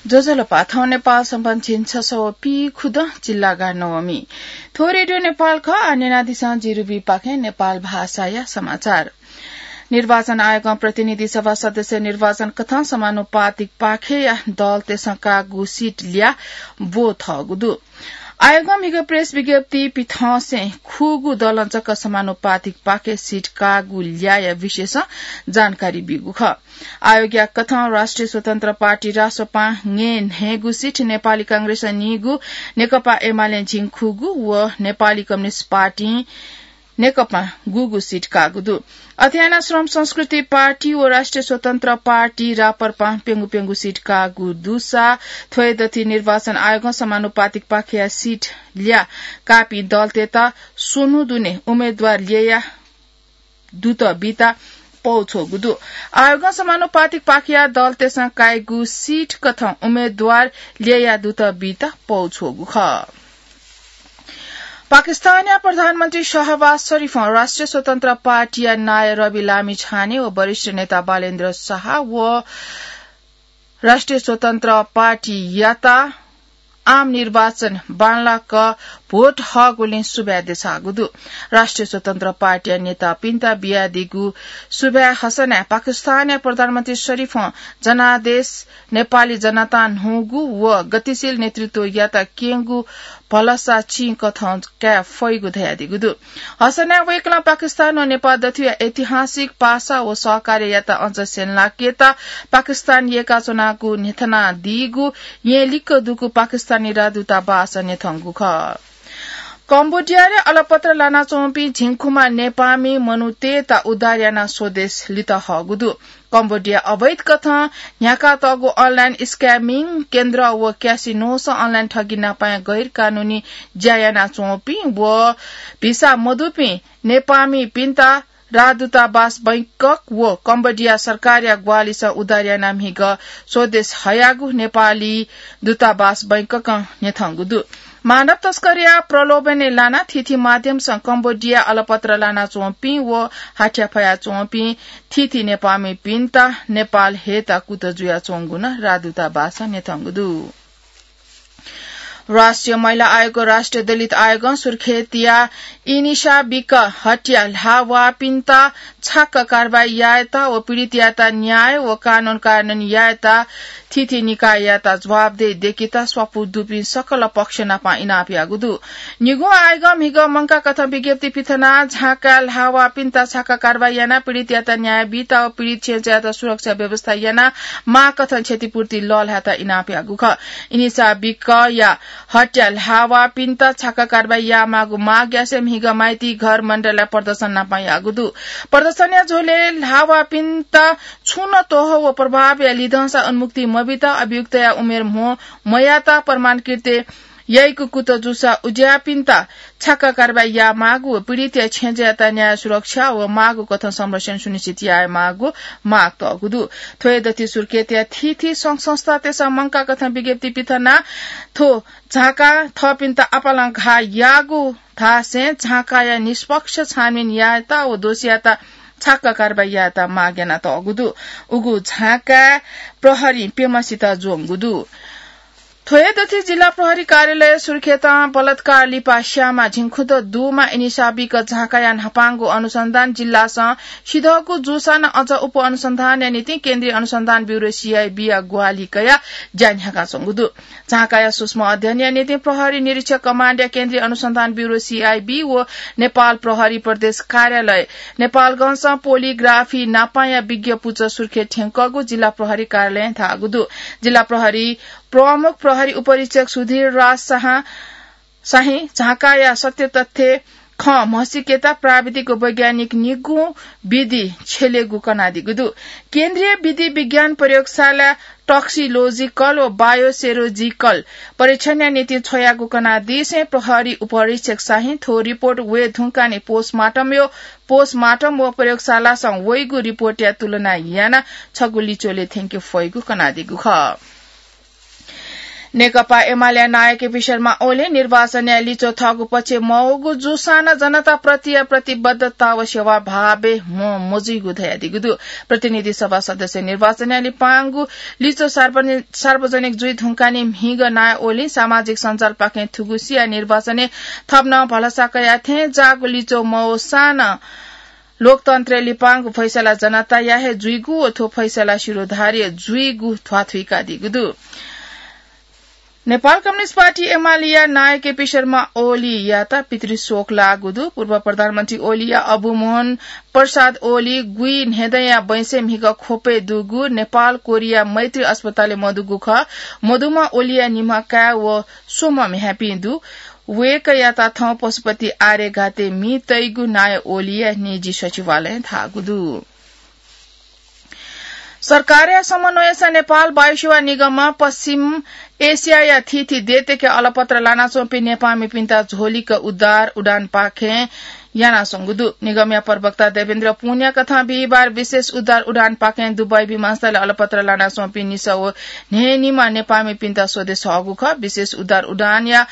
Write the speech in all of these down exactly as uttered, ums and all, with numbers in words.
ज्वजलपा, थौं नेपाल संवत् झिंछसः व पीखुदँ, जिल्लागा नवमी। थ्व रेडियो नेपाल खः। आः न्यनादिसँ जि रुबीपाखें नेपाल भाषाया समाचार। निर्वाचन आयोगं प्रतिनिधि सभा सदस्य निर्वाचन कथं समानुपातिक पाखेया दलतय्सं काःगु सिट ल्याः ब्वथःगु दु। आयोगं म्हिगः प्रेस विज्ञप्ति पिथंसें खुगू दलं जक समानुपातिक पाखे सिट काःगु ल्याःया विषयसं जानकारी ब्यूगु खः। आयोगया कथं राष्ट्रिय स्वतन्त्र पार्टी रासोपां न्हय्गू सिट, नेपाली कांग्रेसं नीगू, नेकपा एमालें झिंखुगू व नेपाली कम्युनिस्ट पार्टीं नेकपां गुगू सिट काःगु दु। अथे यानाः श्रम संस्कृति पार्टी व राष्ट्रिय स्वतन्त्र पार्टी राप्रपां प्यंगू प्यंगू सिट काःगु दुसा थ्वय् दथुइ निर्वाचन आयोगं समानुपातिक पाखेया सिट ल्याः काःपिं दलतय्त स्वन्हु दुने उम्मेदवार ल्यया दुत बीत पौ छ्वःगु दु। आयोगं समानुपातिक पाखेया दलतय्सं काइगु सिट कथं उम्मेदवार ल्यया दुत बीत पौ छ्वःगु खः। पाकिस्तानया प्रधानमन्त्री शहबाज शरीफं राष्ट्रिय स्वतन्त्र पार्टीया नायः रबी लामिछाने व वरिष्ठ नेता बालेन्द्र शाह व राष्ट्रिय स्वतन्त्र पार्टीयात आम निर्वाचन बांलाक भोट हःगुलिं सुभाय् देछाःगु दु। राष्ट्रिय स्वतन्त्र पार्टीया नेतापिन्त बियादीगु सुभाय् हसनाय् पाकिस्तानया प्रधानमन्त्री शरीफं जनादेश, नेपाली जनतां न्हूगु व गतिशील नेतृत्वयात क्यंगु भलसा चिं कथं काये फइगु धयादीगु दु। हसनाय् वय्कलं पाकिस्तान व नेपाल दथुया ऐतिहासिक पासा व सहकार्ययात अझ स्यंलाकेत पाकिस्तान यय्काच्वनागु न्ह्यथनादीगु येँ लिक्क दुगु पाकिस्तानी राजदूतावास न्ह्यथंगु खः। कम्बोडियाय् अलपत्र लानाच्वंपिं झिंखुम्ह नेपाःमि मनूतय्त उद्धार यानाः स्वदेश लित हःगु दु। कम्बोडियाय् अवैध कथं न्ह्याकातःगु online scamming केन्द्र व क्यासिनोसं online ठगी नापाया गैरकानूनी ज्या यानाच्वंपिं व भिसा मदुपिं नेपाःमिपिन्त राजदूतावास बैंकक व कम्बोडिया सरकारया ग्वाहालिसं उद्धार यानाः म्हिगः स्वदेश हयागु नेपाली दूतावास बैंककं न्ह्यथंगु दु। मानव तस्करया प्रलोभनय् लानाः थीथी माध्यमसं कम्बोडिया अलपत्र लानाच्वंपिं व हाथ्याफयाच्वंपिं थीथी नेपाःमिपिन्त नेपाल हयेत कुतः जुयाच्वंगु नं राजदूतावासं न्ह्यथंगु दु। राष्ट्रिय महिला आयोग व राष्ट्रिय दलित आयोगं सुर्खेतया इनिसाबिक हट्या ल्हाःवाःपिन्त छाक्क कारवाही यायेत व पीडितयात न्याय व कानून कार्यान्वयन यायेत थीथी निकाययात जवाफदेही दयेकेत स्वापू दुपिं सकल पक्ष नाप इनाप याःगु दु। निगू आयोगं म्हिगः मंकाः कथं विज्ञप्ति पिथनाः झाँकाय् ल्हाःवाःपिन्त छाक्क कारवाही यानाः पीडितयात न्याय बीत व पीडित छेँजःयात सुरक्षा व्यवस्था यानाः माःकथं क्षतिपूर्ति लःल्हायेत इनाप याःगु खः। इनिसाबिकया हट्या ल्हाःवाःपिन्त छाक्क कारवाही यायेमाःगु माग यासें म्हिगः माइतीघर मण्डलय् प्रदर्शन नाप याःगु दु। प्रदर्शनया झ्वलय् ल्हाःवाःपिन्त छुं नं त्वहः व प्रभावया लिधंसा उन्मुक्ति मबीत, अभियुक्तया उमेर म्हो मयात, प्रमाणकृत याइगु कुतः जूसा उज्याःपिन्त छाक्क कारवाही यायेमाःगु व पीडितया छेँजःयात न्याय सुरक्षा व माःगु कथं संरक्षण सुनिश्चित यायेमाःगु माग तःगु दु। थ्व हे दथुइ सुर्खेतया थीथी संघ संस्थातय्सं मंकाः कथं विज्ञप्ति पिथनाः थ्व झाँकां थःपिन्त आपालं घाः याःगु धासें झाँकाया निष्पक्ष छानबिन यायेत व दोषीयात छाक्क कारवाही यायेत माग यानातःगु दु। उगु झाँकाय् प्रहरीं प्यम्हसित ज्वंगु दु। थ्व हे दथुइ जिल्ला प्रहरी कार्यालय सुर्खेतं बलात्कार लिपा स्याःम्ह झिंखुदँ दुम्ह इनिसाबिक झाँकाया न्हापांगु अनुसन्धान जिल्लासं सिधःगु जूसां नं अझ उप अनुसन्धानया निंतिं केन्द्रीय अनुसन्धान ब्यूरो, सीआईबी, या ग्वाहालि कयाः ज्या न्ह्याकाच्वंगु दु। झाँकाया सूक्ष्म अध्ययनया निंतिं प्रहरी निरीक्षक कमाण्डया केन्द्रीय अनुसन्धान ब्यूरो, सीआईबी, व नेपाल प्रहरी प्रदेश कार्यालय नेपालगंजं पोलिग्राफी नापांया विज्ञ पुचः सुर्खेत थ्यंकःगु जिल्ला प्रहरी कार्यालयं धाःगु दु। जिल्ला प्रहरी प्रमुख प्रहरी उपरीक्षक सुधीर राज शाह, शाही झाँकाया सत्य तथ्य खँ म्हसीकेत प्राविधिक व वैज्ञानिक निगू विधि छ्यलेगु कनादीगु दु। केन्द्रीय विधि विज्ञान प्रयोगशाला टक्सिलोजिकल व बायोसेरोजिकल परीक्षणया निंतिं छ्वयागु कनादीसें प्रहरी उपरीक्षक शाहीं थ्व रिपोर्ट वये धुंकाः नि पोस्टमार्टम व, पोस्टमार्टम व प्रयोगशालासं वइगु रिपोर्टया तुलना यानाः छगू लिच्वलय् थ्यंके फइगु कनादीगु खः। नेकपा एमालेया नायः केपी शर्मा ओलीं निर्वाचनया लिच्वः थःगु पक्षय् मवःगु जूसां नं जनताप्रतिया प्रतिबद्धता व सेवाभावय् म्हो मजुइगु धयादीगु दु। प्रतिनिधि सभा सदस्य निर्वाचनया लिपांगु लिच्वः सार्वजनि-, सार्वजनिक जुइ धुंकाः नि म्हिगः नायः ओलीं सामाजिक सञ्जालपाखें थुगुसिया निर्वाचनय् थप नं भलसा कयाः थें जाःगु लिच्वः मवःसां नं लोकतन्त्रय् लिपांगु फैसला जनताया हे जुइगु व थ्व फैसला शिरोधार्य जुइगु ध्वाथुइकादीगु दु। नेपाल कम्युनिस्ट पार्टी एमालेया नायः केपी शर्मा ओलीयात पितृशोक लाःगु दु। पूर्व प्रधानमन्त्री ओलीया अबु मोहन प्रसाद ओली गुइन्हेदँया बैंसय् म्हिगः ख्वपय् दुगु नेपाल कोरिया मैत्री अस्पतालय् मदुगु खः। मदुम्ह ओलीया निम्ह काय् व स्वम्ह म्ह्याय्‌पिं दु। वय्‌कःयात थौं पशुपति आर्यघातय् मि तइगु नायः ओलीया निजी सचिवालयं धाःगु दु। सरकारया समन्वयसं नेपाल वायुसेवा निगमं पश्चिम एसियाया थीथी देशतय्‌के अलपत्र लानाच्वंपिं नेपाःमिपिन्त झोलिक उद्धार उडानपाखें यानाच्वंगु दु। निगमया प्रवक्ता देवेन्द्र पुनया कथं बिहिबार विशेष उद्धार उडानपाखें दुबई विमानस्थलय् अलपत्र लानाच्वंपिं निसः व न्हय्‌निम्ह नेपाःमिपिन्त स्वदेश हःगु खः। विशेष उद्धार उडानया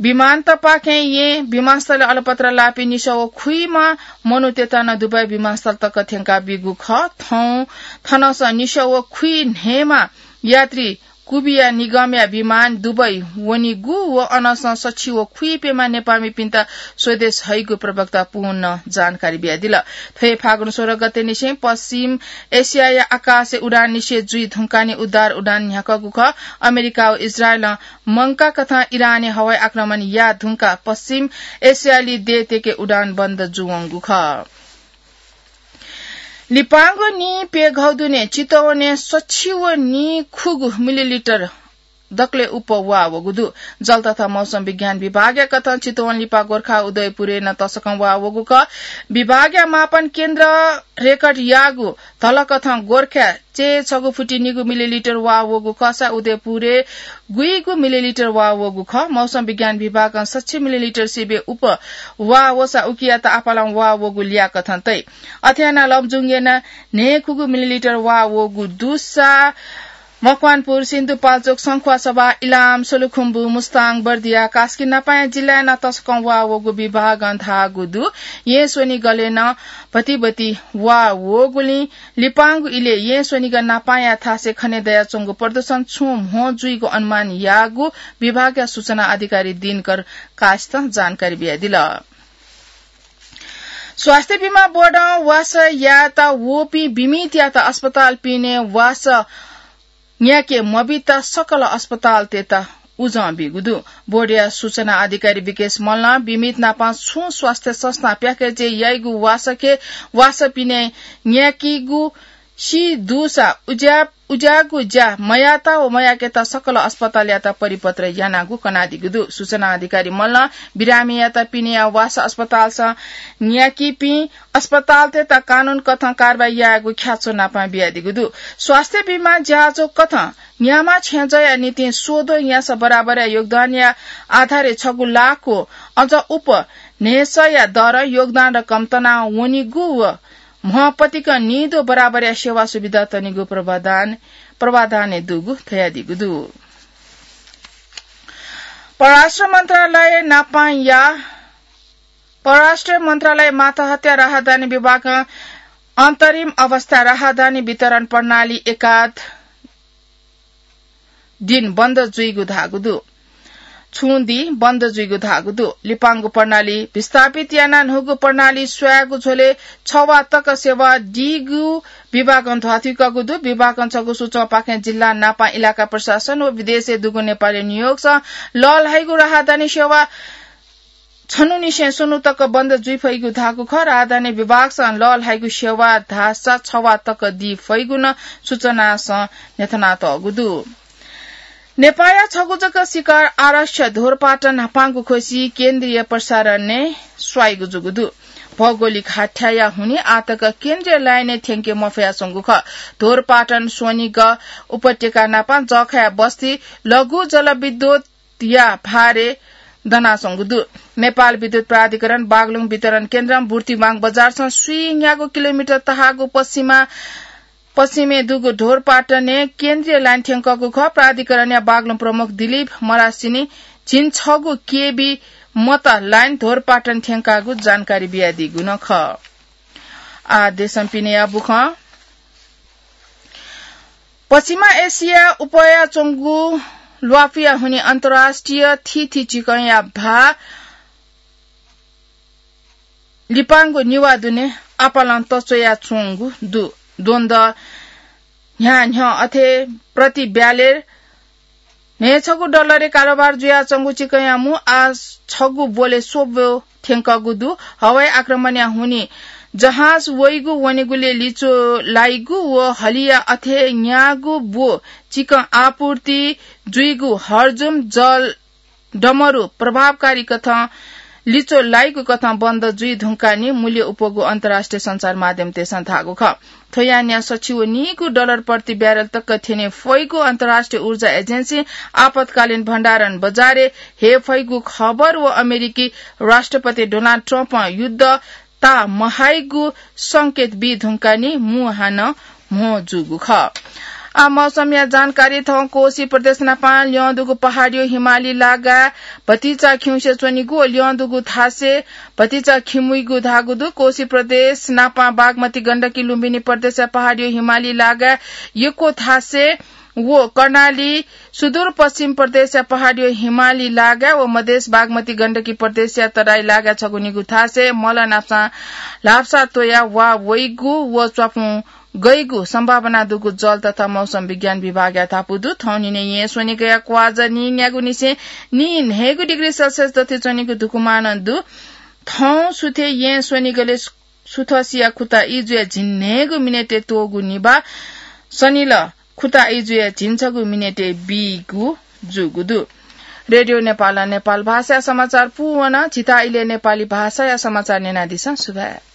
विमानतपाखें येँ विमानस्थलय् अलपत्र लाःपिं निसः व खुइम्ह मनूतय्‌त नं दुबई विमानस्थल तक थ्यंका बीगु खः। थौं थनसं निसः व खुइन्हय्‌म्ह यात्री कुबिया निगमया विमान दुबई वनीगु व अनसं सछि व खुइप्यम्ह नेपाःमिपिन्त स्वदेश हइगु प्रवक्ता पुनं जानकारी बियादिल। थ्व हे फागुन सोह्र गतेनिसें पश्चिम एसियाया आकाशय् उडान निषेध जुइ धुंकाः नि उद्धार उडान न्ह्याकःगु खः। अमेरिका व इजरायलं मंकाकथं इरानय् हवाई आक्रमण याः धुंकाः पश्चिम एसियाली देशतय्‌के उडान बन्द जूवंगु खः। लिपांगु नीप्यघौ दुने चितवनय् सछि व नीखुगू मिलिलिटर दकलय् उप्वः वाः वःगु दु। जल तथा मौसम विज्ञान विभागया कथं चितवन लिपा गोर्खा उदयपुरय् नं तसकं वाः वःगु खः। विभागया मापन केन्द्रं रेकर्ड याःगु धलकथं गोर्खाय् चय् छगू फुति निगू मिलिलिटर वाः वःगु खःसा उदयपुरय् गुइगू मिलिलिटर वाः वःगु खः। मौसम विज्ञान विभागं सछि मिलिलिटर सिबें उप्वः वाः वःसा उकियात आपालं वाः वःगु लियाकथं तइ। अथे यानाः लमजुङय् नं न्हय्‌खुगू मिलिलिटर वाः वःगु दुसा मकवानपुर, सिन्धुपाल्चोक, शंखुवासभा, इलाम, सोलुखुम्बु, मुस्ताङ, बर्दिया, कास्की नापाया जिल्लाय् नं तसकं वाः वःगु विभागं धाःगु दु। येँ स्वनिगलय् नं भतिभति वाः वःगुलिं लिपांगु इलय् येँ स्वनिगः नापाया थासय् खने दयाच्वंगु प्रदूषण छुं म्हो जुइगु अनुमान याःगु विभागया सूचना अधिकारी दिनकर कासितं जानकारी बियादिल। स्वास्थ्य बिमा बोर्डं वासः यायेत वःपिं बिमितयात अस्पताल पिने वासः न्याके मबीत सकल अस्पतालतय्‌त उजं बीगु दु। बोर्डया सूचना अधिकारी विकेश मल्लं बिमित नापं छुं स्वास्थ्य संस्थां प्याकेजय् याइगु वासःके वासः पिने न्याकीगु सी दुसा उज्या-, उज्याःगु ज्या मयात व मयाकेत सकल अस्पतालयात परिपत्र यानागु कनादीगु दु। सूचना अधिकारी मल्लं बिरामीयात पिनेया वासः अस्पतालसं न्याकीपिं अस्पतालतय्‌त कानून कथं कारवाही यायेगु ख्याच्वः नापं बियादीगु दु। स्वास्थ्य बिमा ज्याझ्वः कथं न्याम्ह छेँजःया निंतिं स्वद्वः न्यासः बराबरया योगदानया आधारय् छगू लाख व अझ उप्वः न्हय्‌सःया दरं योगदान रकम तना वनीगु व म्हपतिकं निदँ बराबरया सेवा सुविधा तनीगु प्रावधान, प्रावधानय् दुगु धयादीगु दु। परराष्ट्र मन्त्रालय नापंया, परराष्ट्र मन्त्रालय मातहतया राहदानी विभागं अन्तरिम अवस्था राहदानी वितरण प्रणाली एकाध दिन बन्द जुइगु धाःगु दु। छुं दिं बन्द जुइगु धाःगु दु। लिपांगु प्रणाली विस्थापित यानाः न्हूगु प्रणाली स्वयागु झ्वलय् छ वा तक सेवा दीगु विभागं ध्वाथुइकागु दु। विभागं छगू सूचंपाखें जिल्ला नापं इलाका प्रशासन व विदेशय् दुगु नेपाली नियोगसं लःल्हाइगु राहदानी सेवा छन्हुनिसें स्वन्हु तक बन्द जुइ फइगु धाःगु खः। राहदानी विभागसं लःल्हाइगु सेवा धाःसा छ वा तक दी फइगु नं सूचनासं न्ह्यथनातःगु दु। नेपाःया छगू जक शिखर आरक्ष ध्वरपाटन न्हापांगु ख्वसि केन्द्रीय प्रसारणय् स्वाइगु जूगु दु। भौगोलिक हाथ्याया हुनिं आःतक केन्द्रीय लाइनय् थ्यंके मफयाच्वंगु खः। ध्वरपाटन स्वनिगः उपत्यका नापं जःखाया बस्ती लघु जलविद्युत या भारय् दनाच्वंगु दु। नेपाल विद्युत प्राधिकरण बागलुङ वितरण केन्द्रं बुर्तिवाङ बजारसं स्वीन्यागू किलोमिटर तहाःगु पश्चिमा पश्चिमय् दुगु ढोरपाटनय् केन्द्रीय लाइन थ्यंकःगु खः। प्राधिकरणया बागलुङ प्रमुख दिलीप मरासिनी झिंछगू केबी मत लाइन ढोरपाटन थ्यंकागु जानकारी बियादीगु नं खः। आ देशं पिनेया बुखं। पश्चिमा एसिया उपया च्वंगु ल्वापुया हुनि अन्तर्राष्ट्रिय थीथी चिकंया भाः लिपांगु निवा दुने आपालं तच्वया च्वंगु दु। द्वन्द न्ह्यान्ह्यः अथे प्रति ब्यालेर न्हय्‌छगू डलरय् कारोबार जुयाच्वंगु चिकंया मू आ छगू ब्वले स्वब्व थ्यंकःगु दु। हवाई आक्रमणया हुनि जहाज वइगु वनेगुले लिचो लाइगु व हलिया अथे न्यागू ब्व चिकं आपूर्ति जुइगु हर्जुम जल डमरु प्रभावकारी कथं लिचो लाइगु कथं बन्द जुइ धुंकानि मूल्य उपगु अन्तर्राष्ट्रिय सञ्चार माध्यमतय्‌सं धाःगु खः। थ्व यानाः सछि व नीगु डलर प्रति ब्यारेल तक थ्यने फइगु अन्तर्राष्ट्रिय ऊर्जा एजेन्सी आपतकालीन भण्डारण बजारय् हे फइगु खबर व अमेरिकी राष्ट्रपति डोनाल्ड ट्रम्पं युद्ध ता महाइगु संकेत बी धुंकानि मू हानं म्हो जूगु खः। आ मौसमया जानकारी थौं कोशी प्रदेश नापां ल्यं दुगु पहाडियो हिमाली लागा भतिचा खिउँसे च्वनीगु व ल्यं दुगु थासे भतिचा खिमुइगु धाःगु दु। कोशी प्रदेश नापां बागमती गण्डकी लुम्बिनी प्रदेशया पहाडियो हिमाली लागा यक्व थासे व कर्णाली सुदूरपश्चिम प्रदेशया पहाडियो हिमाली लागा व मधेश बागमती गण्डकी प्रदेशया तराई लागा छगू निगू थासे मल नापसां ल्हापसा त्वया वा वइगु व च्वापुं गइगु सम्भावना दुगु जल तथा मौसम विज्ञान विभागया धापू दु। थौं निने यें स्वनिगया क्वाजा नीन्यागुनिसें नीन्हय्‌गु डिग्री सेल्सियस दथि च्वनीगु धुकुमानं दु। थौं सुथे यें स्वनिगले सुथसिया खुता इजुया झिन्हय्‌गु मिनेटय् त्वःगु निभाः सनिल खुता इजुया झिंछगू मिनेटय् बीगु जूगु दु। रेडियो नेपालं नेपाल भाषाया समाचार पूवन। झीत इलय् नेपाली भाषाया समाचार न्यनादिसँ। सुभाय्।